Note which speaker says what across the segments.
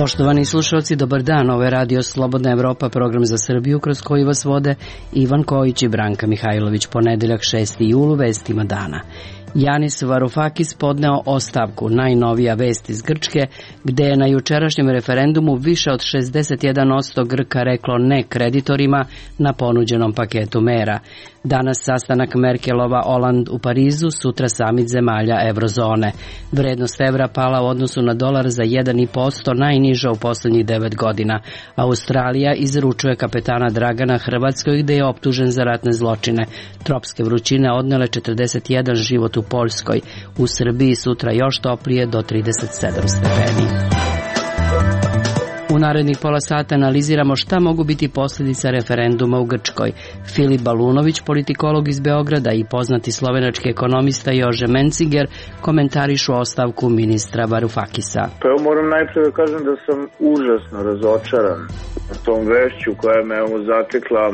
Speaker 1: Poštovani slušalci, dobar dan. Ovo je Radio Slobodna Evropa, program za Srbiju kroz koji vas vode Ivan Kojić i Branka Mihajlović. Ponedeljak 6. julu, vestima dana. Yanis Varoufakis podneo ostavku, najnovija vest iz Grčke, gde je na jučerašnjem referendumu više od 61% Grka reklo ne kreditorima na ponuđenom paketu mera. Danas sastanak Merkelova-Oland u Parizu, sutra samit zemalja eurozone. Vrednost evra pala u odnosu na dolar za 1,5%, najniža u poslednjih 9 godina. Australija izručuje kapetana Dragana Hrvatskoj, gde je optužen za ratne zločine. Tropske vrućine odnele 41 život u Poljskoj. U Srbiji sutra još toplije do 37 stepeni. U narednih pola sata analiziramo šta mogu biti posljedica referenduma u Grčkoj. Filip Balunović, politikolog iz Beograda, i poznati slovenački ekonomista Jože Menciger komentarišu ostavku ministra Varoufakisa.
Speaker 2: Pa evo, moram najprije da kažem da sam užasno razočaran tom vešću koja me zatekla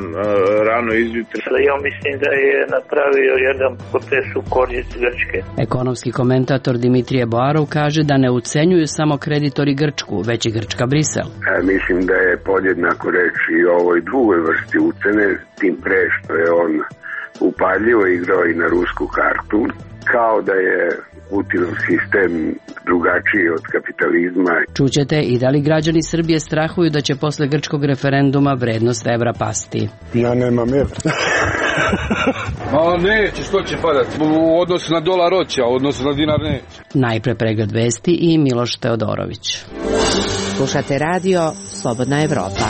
Speaker 2: rano izjutra.
Speaker 3: Ja mislim da je napravio jedan potez u korist Grčke.
Speaker 1: Ekonomski komentator Dimitrije Boarov kaže da ne ucenjuju samo kreditori Grčku, već i Grčka Brisel.
Speaker 4: Mislim da je podjednako reč i o ovoj drugoj vrsti ucene, tim pre što je on upaljivo igrao i na rusku kartu, kao da je Putinov sistem drugačiji od kapitalizma.
Speaker 1: Čućete i da li građani Srbije strahuju da će posle grčkog referenduma vrednost evra pasti.
Speaker 5: Ja nemam evra. Neće, što će padati? U odnosu na dolar hoće, a u odnosu na dinar neće.
Speaker 1: Najpre pregled vesti i Miloš Teodorović.
Speaker 6: Slušate radio Slobodna Evropa.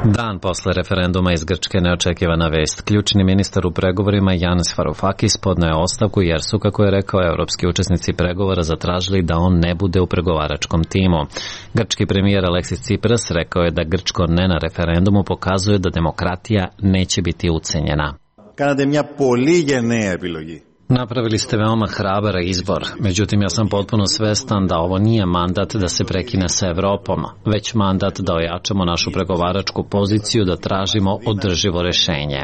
Speaker 7: Dan posle referenduma iz Grčke neočekivana vest. Ključni ministar u pregovorima Yanis Varoufakis podneo je ostavku jer su, kako je rekao, evropski učesnici pregovora zatražili da on ne bude u pregovaračkom timu. Grčki premijer Aleksis Tsipras rekao je da grčko ne na referendumu pokazuje da demokratija neće biti ucenjena.
Speaker 8: Κάνατε μια πολύ γενναία επιλογή.
Speaker 7: Napravili ste veoma hrabar izbor, međutim ja sam potpuno svestan da ovo nije mandat da se prekine sa Evropom, već mandat da ojačamo našu pregovaračku poziciju, da tražimo održivo rešenje.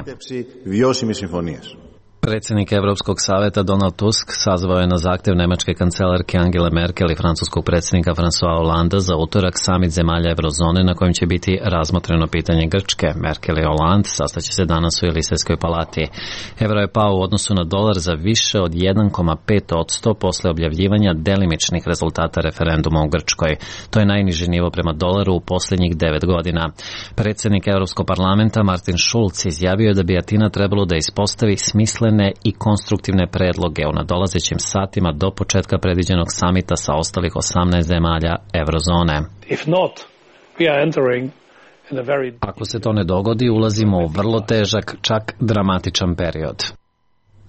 Speaker 7: Predsjednik Evropskog saveta Donald Tusk sazvao je na zahtjev nemačke kancelarke Angele Merkel i francuskog predsjednika François Hollanda za utorak samit zemalja eurozone na kojem će biti razmotreno pitanje Grčke. Merkel i Hollande sastaće se danas u Elisejskoj palati. Evro je pao u odnosu na dolar za više od 1,5% posle objavljivanja delimičnih rezultata referenduma u Grčkoj. To je najniži nivo prema dolaru u posljednjih 9 godina. Predsjednik Europskog parlamenta Martin Schulz izjavio je da bi Atina trebalo da ispostavi smislene i konstruktivne predloge u nadolazećim satima do početka predviđenog samita sa ostalih 18 zemalja eurozone. Ako se to ne dogodi, ulazimo u vrlo težak, čak dramatičan period.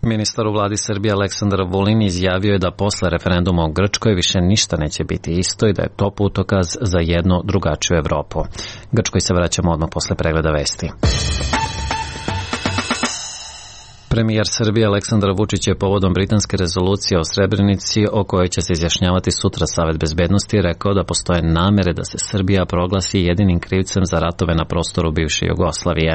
Speaker 7: Ministar u vladi Srbije Aleksandar Vulin izjavio je da posle referenduma u Grčkoj više ništa neće biti isto i da je to putokaz za jednu drugačiju Evropu. Grčkoj se vraćamo odmah posle pregleda vesti. Premijer Srbije Aleksandar Vučić je povodom britanske rezolucije o Srebrenici, o kojoj će se izjašnjavati sutra Savet bezbednosti, rekao da postoje namere da se Srbija proglasi jedinim krivcem za ratove na prostoru bivše Jugoslavije.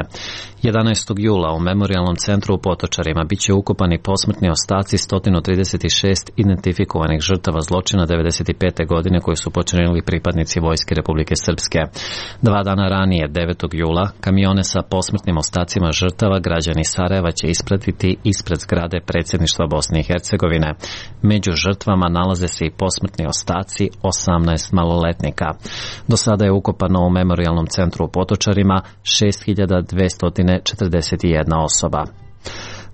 Speaker 7: 11. jula u Memorijalnom centru u Potočarima biće ukopani posmrtni ostaci 136 identifikovanih žrtava zločina 1995. godine koji su počinili pripadnici Vojske Republike Srpske. 2 dana ranije, 9. jula, kamione sa posmrtnim ostacima žrtava građani Sarajeva će ispratiti ispred zgrade predsjedništva Bosne i Hercegovine. Među žrtvama nalaze se i posmrtni ostaci 18 maloletnika. Do sada je ukopano u Memorijalnom centru u Potočarima 6241 osoba.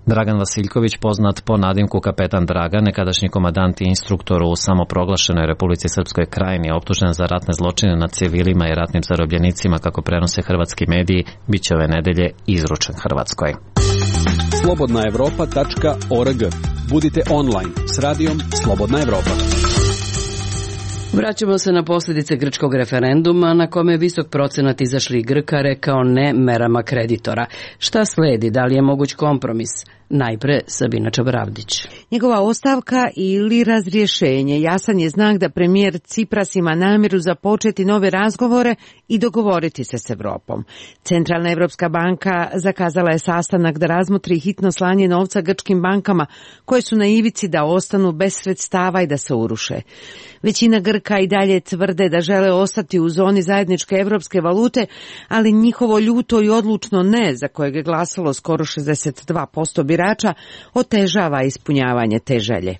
Speaker 7: Dragan Vasiljković, poznat po nadimku Kapetan Dragan, nekadašnji komandant i instruktor u samoproglašenoj Republici Srpskoj Krajini, optužen za ratne zločine nad civilima i ratnim zarobljenicima, kako prenose hrvatski mediji, bit će ove nedelje izručen Hrvatskoj.
Speaker 9: slobodnaevropa.org. Budite online s radijom Slobodna Evropa.
Speaker 1: Vraćamo se na posljedice grčkog referenduma na kome je visok procenat izašlih Grka rekao ne merama kreditora. Šta sledi? Da li je moguć kompromis? Najpre Sabina Čabravdić.
Speaker 6: Njegova ostavka ili razrješenje jasan je znak da premijer Tsipras ima namjeru započeti nove razgovore i dogovoriti se s Evropom. Centralna Evropska banka zakazala je sastanak da razmotri hitno slanje novca grčkim bankama koje su na ivici da ostanu bez sredstava i da se uruše. Većina Grka Grka i dalje tvrde da žele ostati u zoni zajedničke evropske valute, ali njihovo ljuto i odlučno ne, za kojeg je glasalo skoro 62% birača, otežava ispunjavanje te želje.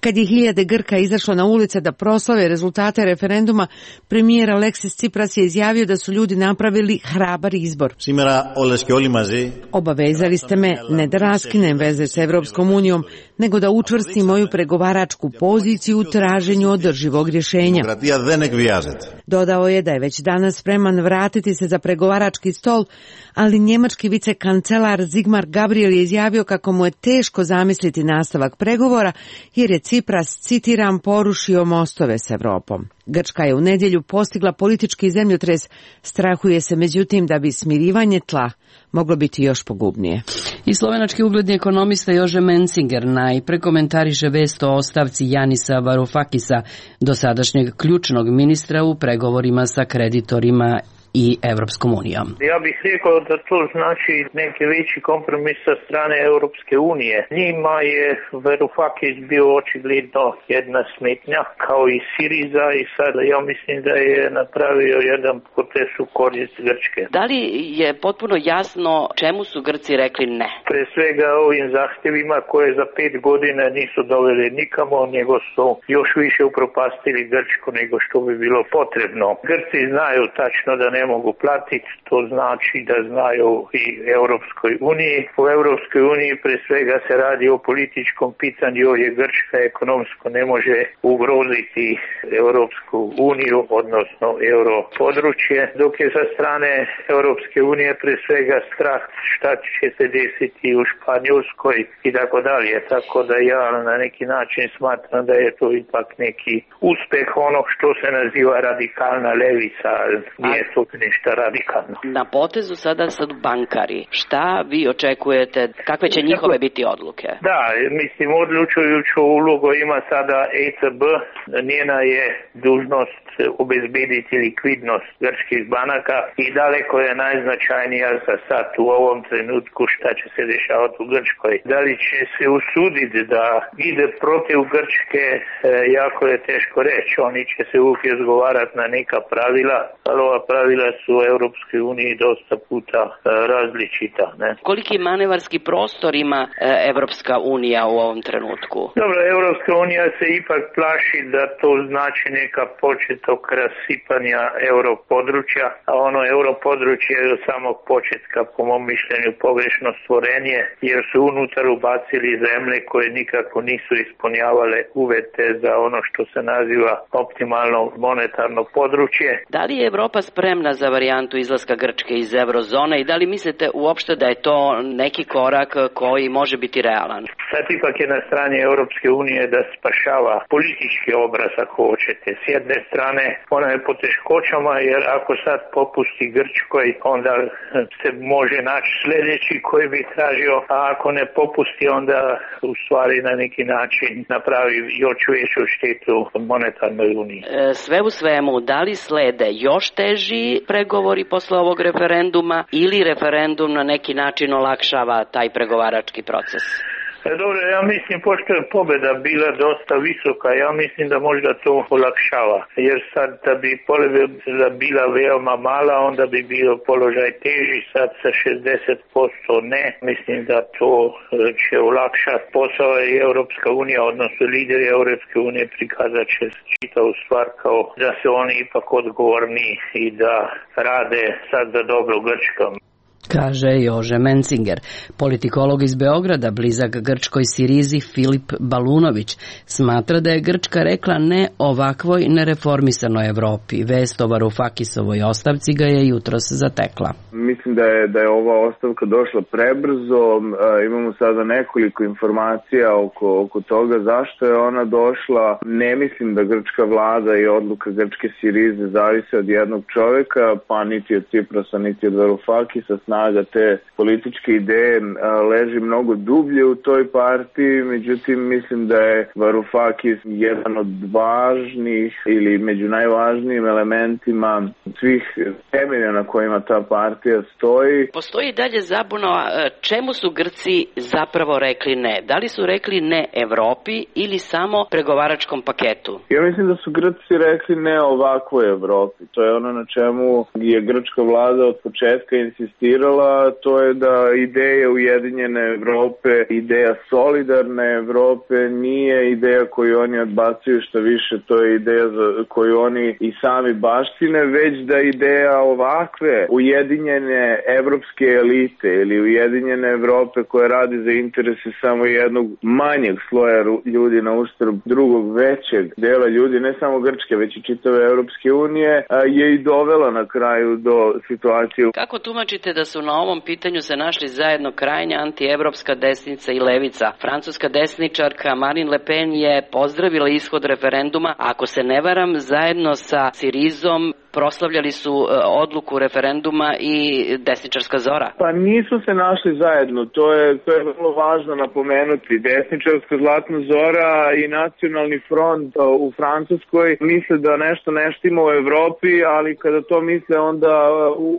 Speaker 6: Kad je hiljade Grka izašlo na ulice da proslave rezultate referenduma, premijer Aleksis Tsipras je izjavio da su ljudi napravili hrabar izbor. Obavezali ste me ne da raskinem veze s Evropskom unijom, nego da učvrstim moju pregovaračku poziciju u traženju održivog rješenja. Dodao je da je već danas spreman vratiti se za pregovarački stol, ali njemački vicekancelar Sigmar Gabriel je izjavio kako mu je teško zamisliti nastavak pregovora, jer je Tsipras, citiram, porušio mostove s Evropom. Grčka je u nedjelju postigla politički zemljotres, strahuje se međutim da bi smirivanje tla moglo biti još pogubnije.
Speaker 1: I slovenački ugledni ekonomista Jože Mencinger najpre komentariše vest o ostavci Janisa Varoufakisa, dosadašnjeg ključnog ministra u pregovorima sa kreditorima i Evropskom unijom.
Speaker 3: Ja bih rekao da to znači neki veći kompromis sa strane Europske unije. Njima je Varoufakis bio očigledno jedna smetnja, kao i Siriza, i sada ja mislim da je napravio jedan potez u korist Grčke.
Speaker 1: Da li je potpuno jasno čemu su Grci rekli ne?
Speaker 3: Pre svega ovim zahtjevima koje za 5 godina nisu doveli nikamo, nego su još više upropastili Grčku nego što bi bilo potrebno. Grci znaju tačno da ne mogu platiti, to znači da znaju i Europskoj uniji. U Europskoj uniji pre svega se radi o političkom pitanju, jer Grčka ekonomsko ne može ugroziti Europsku uniju, odnosno europodručje, dok je sa strane Europske unije pre svega strah šta će se desiti u Španjolskoj i tako dalje. Tako da ja na neki način smatram da je to ipak neki uspeh ono što se naziva radikalna levica, nije to ništa radikalno.
Speaker 1: Na potezu sada sad bankari. Šta vi očekujete? Kakve će njihove biti odluke?
Speaker 3: Da, mislim, odlučujuću ulogu ima sada ECB. Njena je dužnost obezbediti likvidnost grčkih banaka i daleko je najznačajnija za sad u ovom trenutku šta će se dešavati u Grčkoj. Da li će se usuditi da ide protiv Grčke, jako je teško reći. Oni će se uvijek izgovarati na neka pravila, ali ova pravila su u Europskoj uniji dosta puta različita. Ne?
Speaker 1: Koliki manevarski prostor ima Evropska unija u ovom trenutku?
Speaker 3: Dobro, Europska unija se ipak plaši da to znači neka početok rasipanja europodručja, a ono europodručje je od samog početka po mom mišljenju pogrešno stvorenje, jer su unutar ubacili zemlje koje nikako nisu ispunjavale uvjete za ono što se naziva optimalno monetarno područje.
Speaker 1: Da li je Evropa spremna za varijantu izlaska Grčke iz eurozone i da li mislite uopšte da je to neki korak koji može biti realan?
Speaker 3: Sad ipak je na strani Europske unije da spašava politički obraz, ako hoćete. S jedne strane ona je po teškoćama, jer ako sad popusti Grčkoj, onda se može naći sljedeći koji bi tražio, a ako ne popusti, onda u stvari na neki način napravi još veću štetu monetarnoj uniji.
Speaker 1: Sve u svemu, da li slede još teži pregovori posle ovog referenduma ili referendum na neki način olakšava taj pregovarački proces?
Speaker 3: Dobro, ja mislim, pošto je pobjeda bila dosta visoka, ja mislim da možda to olakšava. Jer sad da bi pobjeda bila veoma mala, onda bi bio položaj teži, sad sa 60% ne. Mislim da to će olakšati posao i Europska unija, odnosno lideri Europske unije prikazat će čitavu stvar kao da se oni ipak odgovorni i da rade sad za dobro Grčkom.
Speaker 1: Kaže Jože Mencinger. Politikolog iz Beograda, blizak grčkoj Sirizi, Filip Balunović, smatra da je Grčka rekla ne ovakvoj nereformisanoj Evropi. Vest o Varoufakisovoj ostavci ga je jutros zatekla.
Speaker 2: Mislim da je ova ostavka došla prebrzo. Imamo sada nekoliko informacija oko toga zašto je ona došla. Ne mislim da grčka vlada i odluka grčke Sirize zavise od jednog čovjeka, pa niti od Tsiprasa, niti od Varoufakisa. snaga te političke ideje leži mnogo dublje u toj partiji, međutim mislim da je Varoufakis jedan od važnih ili među najvažnijim elementima svih temelja na kojima ta partija stoji.
Speaker 1: Postoji dalje zabuna čemu su Grci zapravo rekli ne? Da li su rekli ne Evropi ili samo pregovaračkom paketu?
Speaker 2: Ja mislim da su Grci rekli ne ovakvoj Evropi. To je ono na čemu je grčka vlada od početka insistirala, to je da ideja Ujedinjene Evrope, ideja solidarne Evrope nije ideja koju oni odbacuju, što više to je ideja koju oni i sami baštine, već da ideja ovakve ujedinjene evropske elite ili Ujedinjene Evrope koja radi za interese samo jednog manjeg sloja ljudi na uštrb drugog većeg dela ljudi, ne samo Grčke, već i čitave Evropske unije, je i dovela na kraju do situacije.
Speaker 1: Kako tumačite da su na ovom pitanju se našli zajedno krajnja antievropska desnica i levica? Francuska desničarka Marine Le Pen je pozdravila ishod referenduma, ako se ne varam, zajedno sa Sirizom proslavljali su odluku referenduma i desničarska Zora.
Speaker 2: Pa nisu se našli zajedno, to je vrlo važno napomenuti. Desničarska Zlatna Zora i Nacionalni front u Francuskoj misle da nešto ne štima u Evropi, ali kada to misle onda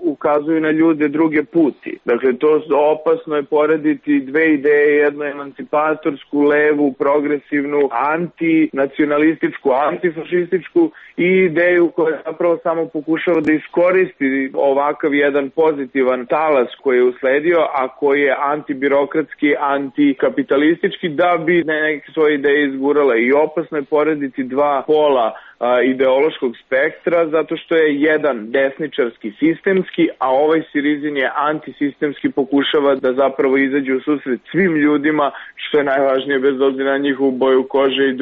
Speaker 2: ukazuju na ljude druge puti. Dakle, to opasno je porediti dve ideje, jednu emancipatorsku, levu, progresivnu, antinacionalističku, antifašističku i ideju koja zapravo samo pokušava da iskoristi ovakav jedan pozitivan talas koji je usledio, a koji je antibirokratski, antikapitalistički, da bi neke svoje ideje izgurala. I opasno je porediti dva pola ideološkog spektra, zato što je jedan desničarski sistemski, a ovaj Sirizin je antisistemski, pokušava da zapravo izađe u susret svim ljudima, što je najvažnije bez obzira na njihovu boju kože i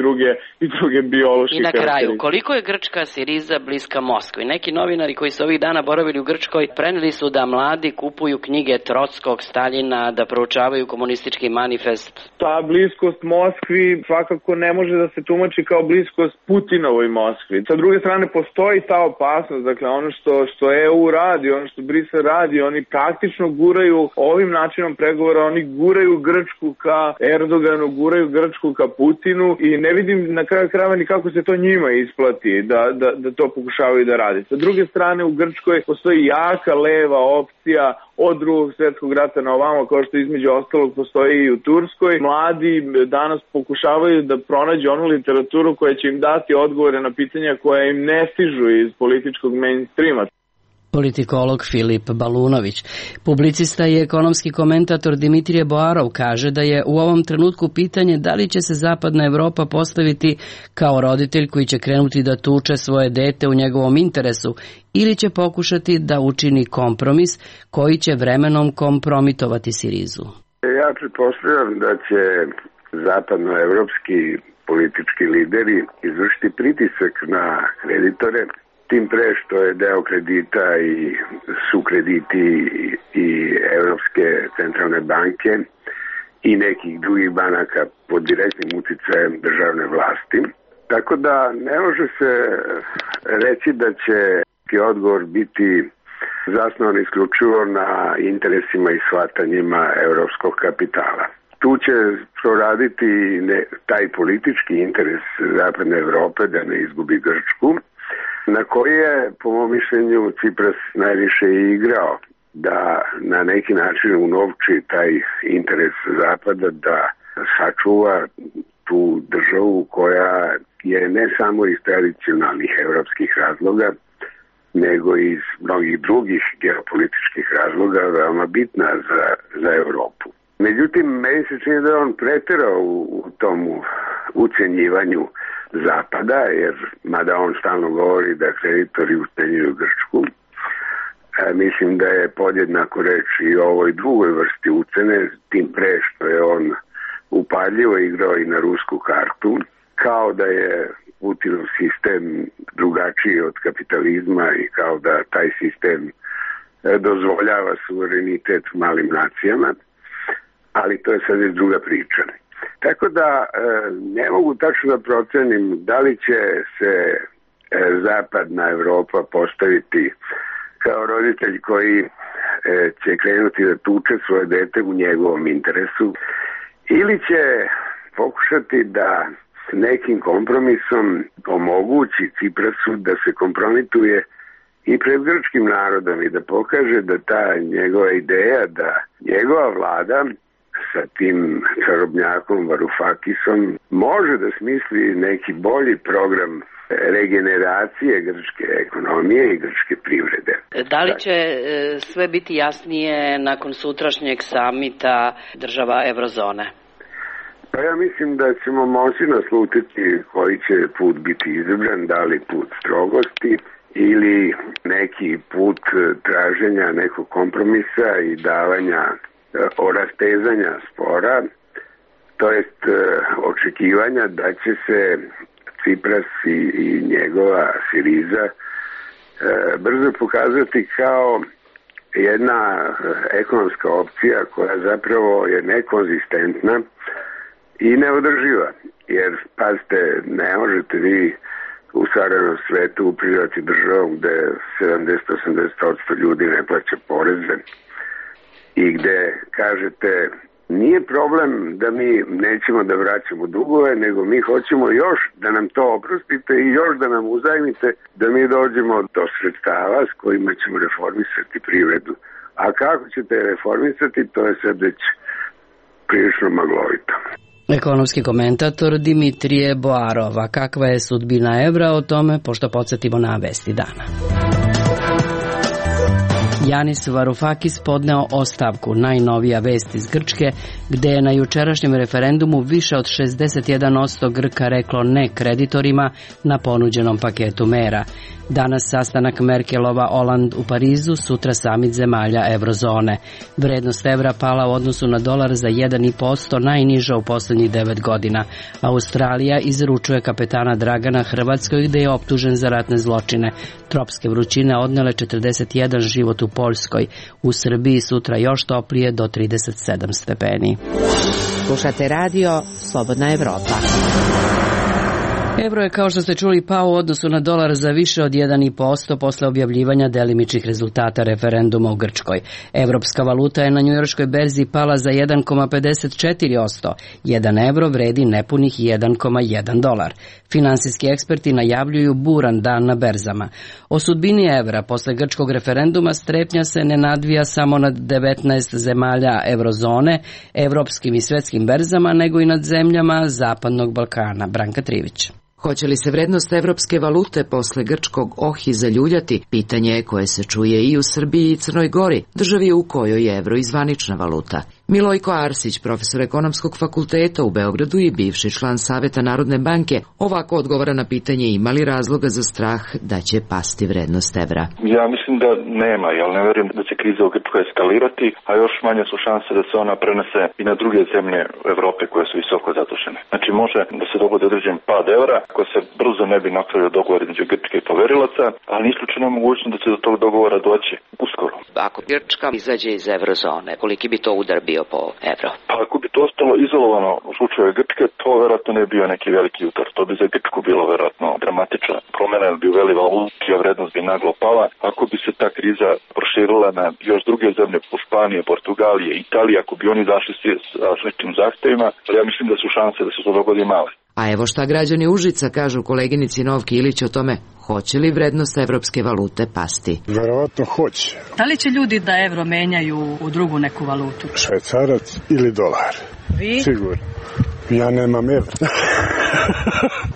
Speaker 2: druge biološke
Speaker 1: I na kraju,
Speaker 2: karakteristike.
Speaker 1: koliko je grčka Siriza bliska Moskvi? Neki novinari koji su ovih dana boravili u Grčkoj preneli su da mladi kupuju knjige Trockog, Staljina, da proučavaju komunistički manifest.
Speaker 2: Ta bliskost Moskvi svakako ne može da se tumači kao bliskost Putinovoj Moskvi. Sa druge strane postoji ta opasnost, dakle ono što EU radi, ono što Brisel radi, oni praktično guraju ovim načinom pregovora, oni guraju Grčku ka Erdoganu, guraju Grčku ka Putinu i ne vidim na kraju krajeva ni kako se to njima isplati da to pokušavaju da radi. Sa druge strane u Grčkoj postoji jaka leva opcija od Drugog svjetskog rata na ovamo, kao što između ostalog postoji i u Turskoj. Mladi danas pokušavaju da pronađu onu literaturu koja će im dati odgovore na pitanja koja im ne stižu iz političkog mainstreama.
Speaker 1: Politikolog Filip Balunović. Publicista i ekonomski komentator Dimitrije Boarov kaže da je u ovom trenutku pitanje da li će se Zapadna Evropa postaviti kao roditelj koji će krenuti da tuče svoje dete u njegovom interesu ili će pokušati da učini kompromis koji će vremenom kompromitovati Sirizu.
Speaker 4: Ja pretpostavljam da će zapadnoevropski politički lideri izvršiti pritisak na kreditore, tim pre što je deo kredita i su krediti i Evropske centralne banke i nekih drugih banaka pod direktnim uticajem državne vlasti. Tako da ne može se reći da će odgovor biti zasnovan isključivo na interesima i shvatanjima evropskog kapitala. Tu će proraditi taj politički interes Zapadne Evrope da ne izgubi Grčku, na koji je, po mom mišljenju, Cipras najviše i igrao, da na neki način unovči taj interes Zapada da sačuva tu državu koja je ne samo iz tradicionalnih evropskih razloga, nego i iz mnogih drugih geopolitičkih razloga veoma bitna za Evropu. Međutim, meni se čini da je on preterao u tomu ucenjivanju Zapada, jer mada on stalno govori da kreditori ucenjuju Grčku, mislim da je podjednako reč i o ovoj drugoj vrsti ucene, tim pre što je on upaljivo igrao i na rusku kartu, kao da je Putinov sistem drugačiji od kapitalizma i kao da taj sistem dozvoljava suverenitet malim nacijama, ali to je sad već druga priča. Tako da ne mogu tačno da procenim da li će se Zapadna Evropa postaviti kao roditelj koji će krenuti da tuče svoje dete u njegovom interesu, ili će pokušati da s nekim kompromisom omogući Ciprasu da se kompromituje i pred grčkim narodom i da pokaže da ta njegova ideja da njegova vlada sa tim čarobnjakom Varoufakisom može da smisli neki bolji program regeneracije grčke ekonomije i grčke privrede.
Speaker 1: Da li će sve biti jasnije nakon sutrašnjeg samita država Eurozone?
Speaker 4: Pa ja mislim da ćemo moći naslutiti koji će put biti izabran, da li put strogosti ili neki put traženja nekog kompromisa i davanja rastezanja spora, to jest očekivanja da će se Cipras i njegova Siriza brzo pokazati kao jedna ekonomska opcija koja zapravo je nekonzistentna i neodrživa. Jer, pazite, ne možete vi u savremenom svetu upravljati državom gde 70-80% ljudi ne plaća poreze i gde kažete nije problem da mi nećemo da vraćamo dugove, nego mi hoćemo još da nam to oprostite i još da nam uzajmite da mi dođemo do sredstava s kojima ćemo reformisati privredu. A kako ćete reformisati, to je sad već prilično maglovito.
Speaker 1: Ekonomski komentator Dimitrije Boarova. Kakva je sudbina evra, o tome, pošto podsjetimo na vesti dana. Yanis Varoufakis podneo ostavku, najnovija vest iz Grčke, gde je na jučerašnjem referendumu više od 61% Grka reklo ne kreditorima na ponuđenom paketu mera. Danas sastanak Merkelova-Oland u Parizu, sutra samit zemalja Eurozone. Vrednost evra pala u odnosu na dolar za 1,5%, najniža u poslednjih 9 godina. Australija izručuje kapetana Dragana Hrvatskoj, gde je optužen za ratne zločine. Tropske vrućine odnele 41 život u Poljskoj. U Srbiji sutra još toplije do 37 stepeni.
Speaker 6: Slušate radio Slobodna Evropa.
Speaker 1: Evro je, kao što ste čuli, pao u odnosu na dolar za više od 1,5% posle objavljivanja delimičnih rezultata referenduma u Grčkoj. Evropska valuta je na njujorškoj berzi pala za 1,54%. 1 evro vredi nepunih 1,1 dolar. Finansijski eksperti najavljuju buran dan na berzama. O sudbini evra posle grčkog referenduma strepnja se ne nadvija samo nad 19 zemalja Eurozone, evropskim i svetskim berzama, nego i nad zemljama Zapadnog Balkana. Branka Trivić.
Speaker 6: Hoće li se vrednost evropske valute posle grčkog ohi zaljuljati? Pitanje je koje se čuje i u Srbiji i Crnoj Gori, državi u kojoj je evro i zvanična valuta. Milojko Arsić, profesor ekonomskog fakulteta u Beogradu i bivši član Saveta Narodne banke, ovako odgovara na pitanje ima li razloga za strah da će pasti vrednost evra.
Speaker 10: Ja mislim da nema, jer ne verujem da će kriza u Grčkoj eskalirati, a još manje su šanse da se ona prenese i na druge zemlje Evrope koje su visoko zadužene. Znači može da se dogodi određen pad evra, ako se brzo ne bi napravio dogovor između Grčke i poverilaca, ali nije isključena mogućnost da će do tog dogovora doći uskoro.
Speaker 11: Ako Grčka izađe iz eurozone, koliki bi to udar bio po evro?
Speaker 10: Pa ako bi to ostalo izolovano u slučaju Grčke, to verovatno ne bi bio neki veliki udar. To bi za Grčku bilo verovatno dramatična promena, bi uveli valutu, vrednost bi naglo pala. Ako bi se ta kriza proširila na još druge zemlje, Španije, Portugalije, Italije, ako bi oni zašli sa sličnim zahtevima, ali ja mislim da su šanse da se to dogodi male.
Speaker 6: A evo šta građani Užica kažu koleginici Novki Ilić o tome, hoće li vrednost evropske valute pasti?
Speaker 12: Verovatno hoće.
Speaker 13: Da li će ljudi da evro menjaju u drugu neku valutu?
Speaker 12: Švajcarac ili dolar?
Speaker 13: Vi?
Speaker 12: Sigurno. Ja nemam evra.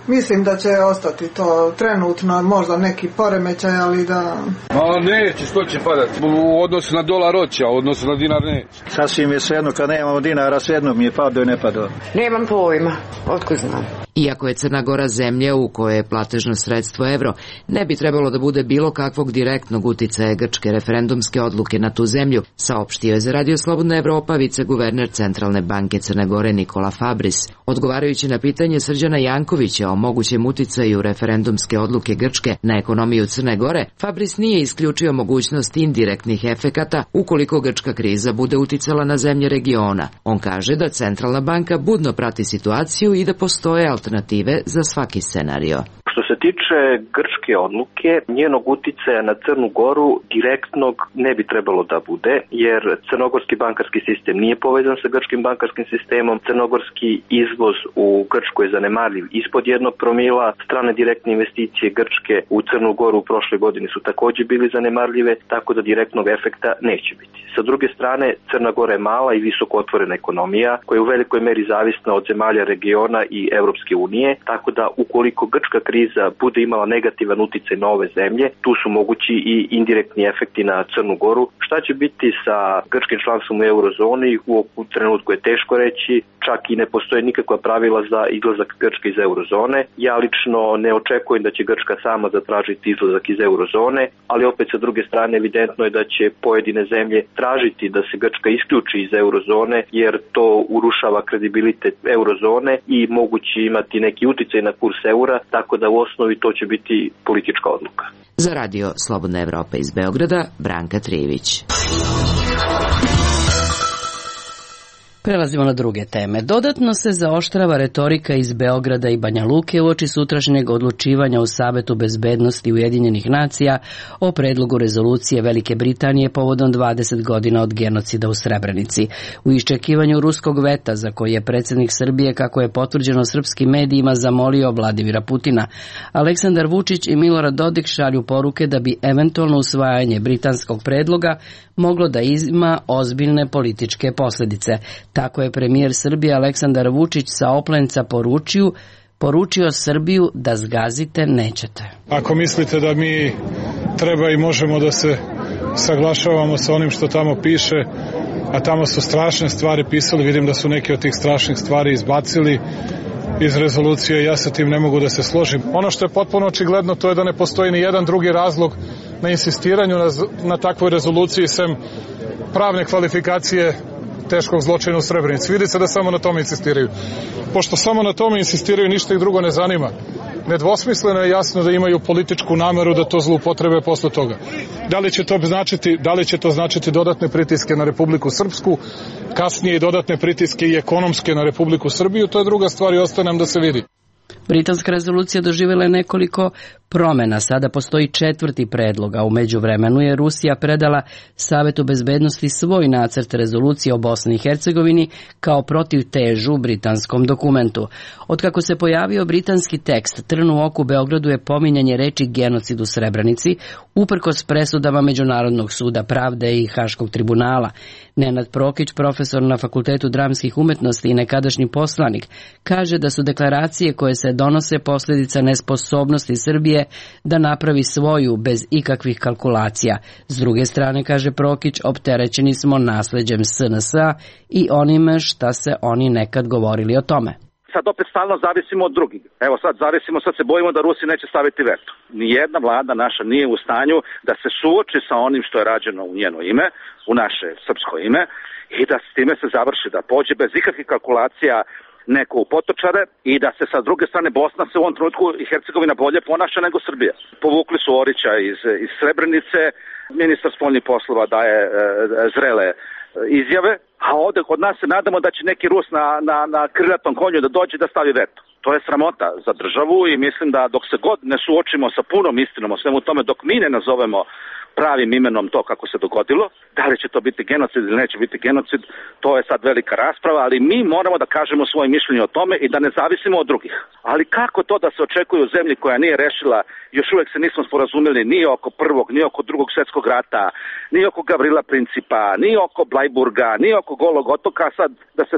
Speaker 14: Mislim da će ostati to trenutno, možda neki poremećaj, ali da...
Speaker 5: Ma neće, što će padati? U odnosu na dolar hoće, a u odnosu na dinar neće.
Speaker 15: Sasvim je svejedno, kad nemamo dinara, svejedno mi je padao i ne padao.
Speaker 16: Nemam pojma, otkud znam.
Speaker 6: Iako je Crna Gora zemlja u kojoj je platežno sredstvo evro, ne bi trebalo da bude bilo kakvog direktnog uticaja grčke referendumske odluke na tu zemlju, saopštio je za Radio Slobodna Evropa viceguverner Centralne banke Crne Gore Nikola Fabris. Odgovarajući na pitanje Srđana
Speaker 11: Srđana Jankovića o mogućem uticaju referendumske odluke Grčke na ekonomiju Crne Gore, Fabris nije isključio mogućnost indirektnih efekata ukoliko grčka kriza bude uticala na zemlje regiona. On kaže da Centralna banka budno prati situaciju i da postoje alternative za svaki scenario.
Speaker 17: Što se tiče grčke odluke, njenog uticaja na Crnu Goru direktnog ne bi trebalo da bude, jer crnogorski bankarski sistem nije povezan sa grčkim bankarskim sistemom, crnogorski izvoz u Grčku je zanemarljiv ispod 1 promila, strane direktne investicije Grčke u Crnu Goru u prošle godine su takođe bili zanemarljive, tako da direktnog efekta neće biti. Sa druge strane, Crna Gora je mala i visoko otvorena ekonomija, koja je u velikoj meri zavisna od zemalja regiona i Evropske unije, tako da ukoliko grčka kriza bude imala negativan uticaj na ove zemlje, tu su mogući i indirektni efekti na Crnu Goru. Šta će biti sa grčkim članstvom u eurozoni, u trenutku je teško reći, čak i ne postoje nikakva pravila za izlazak Grčke iz eurozone. Ja lično ne očekujem da će Grčka sama zatražiti izlazak iz eurozone, ali opet sa druge strane evidentno je da će pojedine zemlje tražiti da se Grčka isključi iz eurozone, jer to urušava kredibilitet eurozone i moguće imati neki uticaj na kurs eura, tako da u osnovi to će biti politička odluka.
Speaker 11: Za radio Slobodna Evropa iz Beograda, Branka Trijević.
Speaker 1: Prelazimo na druge teme. Dodatno se zaoštrava retorika iz Beograda i Banja Luke uoči sutrašnjeg odlučivanja u Savetu bezbednosti Ujedinjenih nacija o predlogu rezolucije Velike Britanije povodom 20 godina od genocida u Srebrenici. U iščekivanju ruskog veta za koji je predsjednik Srbije, kako je potvrđeno srpskim medijima, zamolio Vladimira Putina, Aleksandar Vučić i Milorad Dodik šalju poruke da bi eventualno usvajanje britanskog predloga moglo da ima ozbiljne političke posljedice. Tako je premijer Srbije Aleksandar Vučić sa Oplenca poručio Srbiju da zgazite nećete.
Speaker 18: Ako mislite da mi treba i možemo da se saglašavamo sa onim što tamo piše, a tamo su strašne stvari pisali, vidim da su neke od tih strašnih stvari izbacili iz rezolucije, ja sa tim ne mogu da se složim. Ono što je potpuno očigledno, to je da ne postoji ni jedan drugi razlog na insistiranju na takvoj rezoluciji sem pravne kvalifikacije teškog zločina u Srebrenici. Vidi se da samo na tome insistiraju. Pošto samo na tome insistiraju, ništa ih drugo ne zanima. Nedvosmisleno je jasno da imaju političku nameru da to zloupotrebe posle toga. Da li će to značiti dodatne pritiske na Republiku Srpsku, kasnije i dodatne pritiske i ekonomske na Republiku Srbiju, to je druga stvar i ostaje nam da se vidi.
Speaker 1: Britanska rezolucija doživjela je nekoliko promjena. Sada postoji 4. predlog, a u međuvremenu je Rusija predala Savetu bezbednosti svoj nacrt rezolucije o Bosni i Hercegovini kao protivtežu britanskom dokumentu. Otkako se pojavio britanski tekst, trn u oku Beogradu je pominjanje reči genocid u Srebrenici, uprkos presudama Međunarodnog suda pravde i Haškog tribunala. Nenad Prokić, profesor na Fakultetu dramskih umetnosti i nekadašnji poslanik, kaže da su deklaracije koje se donose posljedica nesposobnosti Srbije da napravi svoju bez ikakvih kalkulacija. S druge strane, kaže Prokić, opterećeni smo nasleđem SNS-a i onime šta se oni nekad govorili o tome.
Speaker 19: Sad opet stalno zavisimo od drugih. Evo sad se bojimo da Rusi neće staviti veto. Nijedna vlada naša nije u stanju da se suoči sa onim što je rađeno u njeno ime, u naše srpsko ime, i da s time se završi, da pođe bez ikakvih kalkulacija neko u potočare i da se sa druge strane Bosna se u ovom trenutku i Hercegovina bolje ponaša nego Srbija. Povukli su Orića iz Srebrenice, ministar spoljnih poslova daje zrele izjave, a ovde kod nas se nadamo da će neki Rus na krilatom konju da dođe da stavi veto. To je sramota za državu i mislim da dok se god ne suočimo sa punom istinom o svemu tome, dok mi ne nazovemo pravim imenom to kako se dogodilo, da li će to biti genocid ili neće biti genocid, to je sad velika rasprava, ali mi moramo da kažemo svoje mišljenje o tome i da ne zavisimo od drugih. Ali kako to da se očekuje u zemlji koja nije rešila, još uvek se nismo sporazumeli ni oko prvog, ni oko drugog svjetskog rata, ni oko Gavrila Principa, ni oko Blajburga, ni oko Golog otoka, sad da se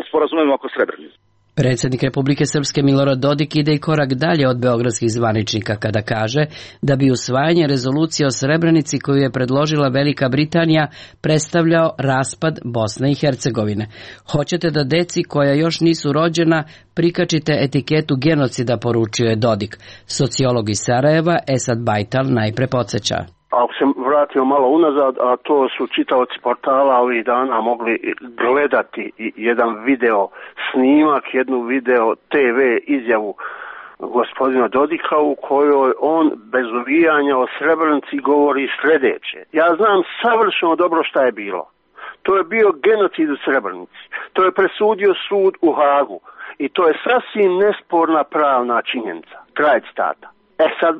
Speaker 19: sporazumemo oko Srebrenice.
Speaker 1: Predsjednik Republike Srpske Milorad Dodik ide i korak dalje od beogradskih zvaničnika kada kaže da bi usvajanje rezolucije o Srebrenici koju je predložila Velika Britanija predstavljao raspad Bosne i Hercegovine. Hoćete da deci koja još nisu rođena prikačite etiketu genocida, poručio je Dodik. Sociolog iz Sarajeva Esad Bajtal najpre podsjeća.
Speaker 20: ako se vratimo malo unazad, a to su čitaoci portala ovih dana mogli gledati jedan video snimak, jednu video TV izjavu gospodina Dodika u kojoj on bez uvijanja o Srebrenici govori sljedeće. Ja znam savršeno dobro šta je bilo. To je bio genocid u Srebrenici. To je presudio sud u Hagu. I to je sasvim nesporna pravna činjenica. Kraj citata. Sad,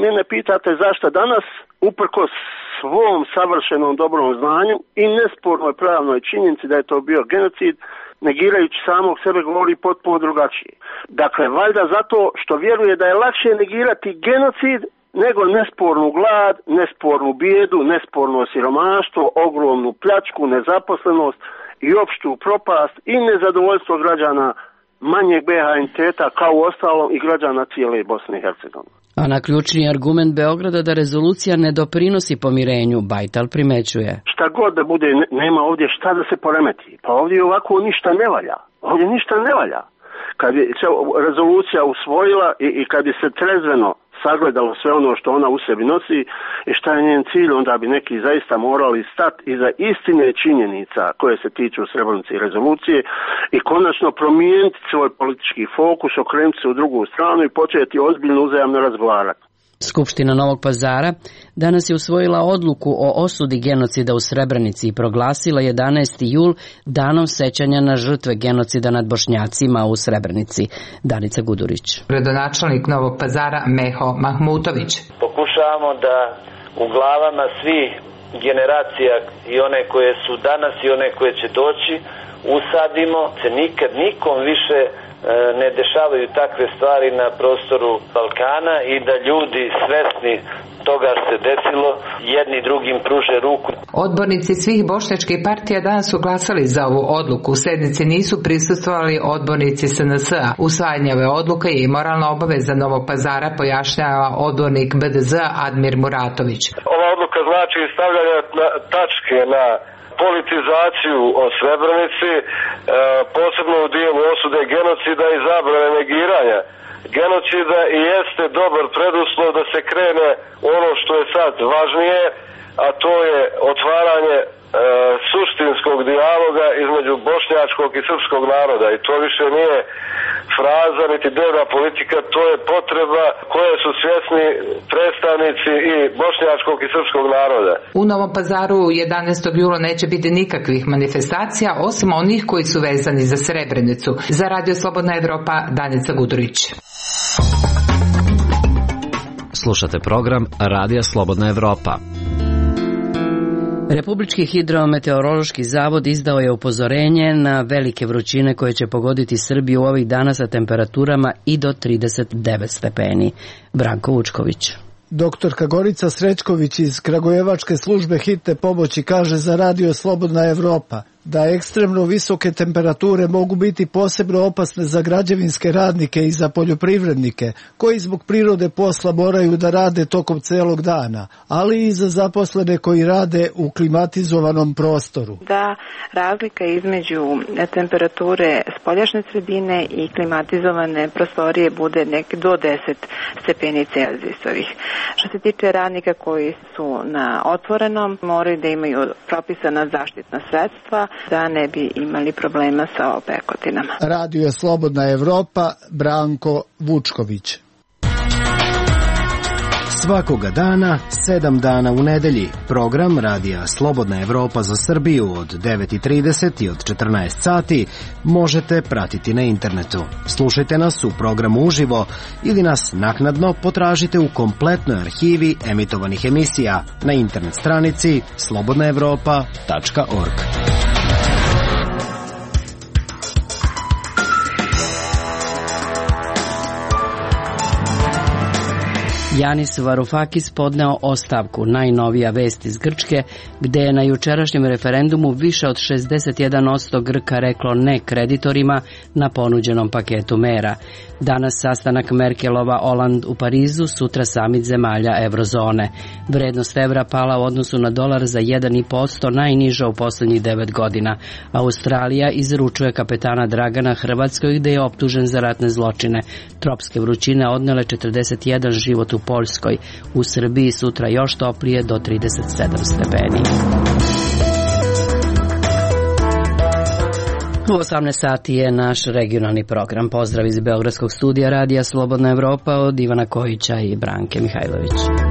Speaker 20: mene pitate zašto danas, uprkos svom savršenom dobrom znanju i nespornoj pravnoj činjenici da je to bio genocid, negirajući samog sebe govori potpuno drugačije. Dakle, valjda zato što vjeruje da je lakše negirati genocid nego nespornu glad, nespornu bijedu, nesporno siromaštvo, ogromnu pljačku, nezaposlenost i opštu propast i nezadovoljstvo građana manjeg BiH entiteta kao u ostalom i građana cijele Bosne i Hercegovine.
Speaker 1: A na ključni argument Beograda da rezolucija ne doprinosi pomirenju, Bajtal primećuje.
Speaker 20: Šta god da bude, nema ovdje šta da se poremeti. Pa ovdje ovako ništa ne valja. Ovdje ništa ne valja. Kad je se rezolucija usvojila i kad je se trezveno sagledalo sve ono što ona u sebi nosi i šta je njen cilj, onda bi neki zaista morali stati iza istine činjenica koje se tiču Srebrenice i rezolucije i konačno promijeniti svoj politički fokus, okrenuti se u drugu stranu i početi ozbiljno uzajamno razgovarati.
Speaker 1: Skupština Novog Pazara danas je usvojila odluku o osudi genocida u Srebrenici i proglasila 11. jul danom sećanja na žrtve genocida nad Bošnjacima u Srebrenici. Danica Gudurić.
Speaker 21: Gradonačelnik Novog Pazara Meho Mahmutović.
Speaker 22: Pokušavamo da u glavama svih generacija i one koje su danas i one koje će doći usadimo se nikad nikom više ne dešavaju takve stvari na prostoru Balkana i da ljudi svesni toga se desilo jedni drugim pruže ruku.
Speaker 21: Odbornici svih bošnjačkih partija danas su glasali za ovu odluku. U sednici nisu prisustvovali odbornici SNS-a. Usvajanje ove odluke je i moralna obaveza Novog Pazara, pojašnjava odbornik HDZ Admir Muratović.
Speaker 23: Ova odluka znači stavljanje tačke na politizaciju o Srebrenici, posebno u dijelu osude genocida i zabrane negiranja genocida i jeste dobar preduslov da se krene ono što je sad važnije, a to je otvaranje suštinskog dijaloga između bošnjačkog i srpskog naroda i to više nije fraza niti dnevna politika, to je potreba koje su svjesni predstavnici i bošnjačkog i srpskog naroda.
Speaker 21: U Novom Pazaru 11. jula neće biti nikakvih manifestacija osim onih koji su vezani za Srebrenicu. Za Radio Slobodna Evropa, Danica Gudurić.
Speaker 7: Slušate program Radija Slobodna Evropa.
Speaker 1: Republički hidrometeorološki zavod izdao je upozorenje na velike vrućine koje će pogoditi Srbiju ovih dana sa temperaturama i do 39 stepeni. Branko Vučković.
Speaker 24: Doktorka Gorica Srećković iz Kragujevačke službe hitne pomoći kaže za Radio Slobodna Evropa da ekstremno visoke temperature mogu biti posebno opasne za građevinske radnike i za poljoprivrednike, koji zbog prirode posla moraju da rade tokom celog dana, ali i za zaposlene koji rade u klimatizovanom prostoru.
Speaker 25: Da razlika između temperature spoljašnje sredine i klimatizovane prostorije bude nek do 10 stepeni Celzijusovih. Što se tiče radnika koji su na otvorenom, moraju da imaju propisana zaštitna sredstva da ne bi imali problema sa opekotinama.
Speaker 24: Radio Slobodna Evropa, Branko Vučković.
Speaker 26: Svakoga dana, 7 dana u nedelji. Program Radija Slobodna Evropa za Srbiju od 9:30 i od 14 sati možete pratiti na internetu. Slušajte nas u programu uživo ili nas naknadno potražite u kompletnoj arhivi emitovanih emisija na internet stranici slobodnaevropa.org.
Speaker 1: Janis Varoufakis podneo ostavku, najnovija vest iz Grčke, gde je na jučerašnjem referendumu više od 61% Grka reklo ne kreditorima na ponuđenom paketu mera. Danas sastanak Merkelova-Oland u Parizu, sutra samit zemalja eurozone. Vrednost evra pala u odnosu na dolar za 1,5%, najniža u poslednjih 9 godina. Australija izručuje kapetana Dragana Hrvatskoj gde je optužen za ratne zločine. Tropske vrućine odnele 41 život u Poljskoj. U Srbiji sutra još toplije do 37 stepeni. U 18 sati je naš regionalni program. Pozdrav iz Beogradskog studija Radija Slobodna Evropa od Ivana Kojića i Branke Mihajlović.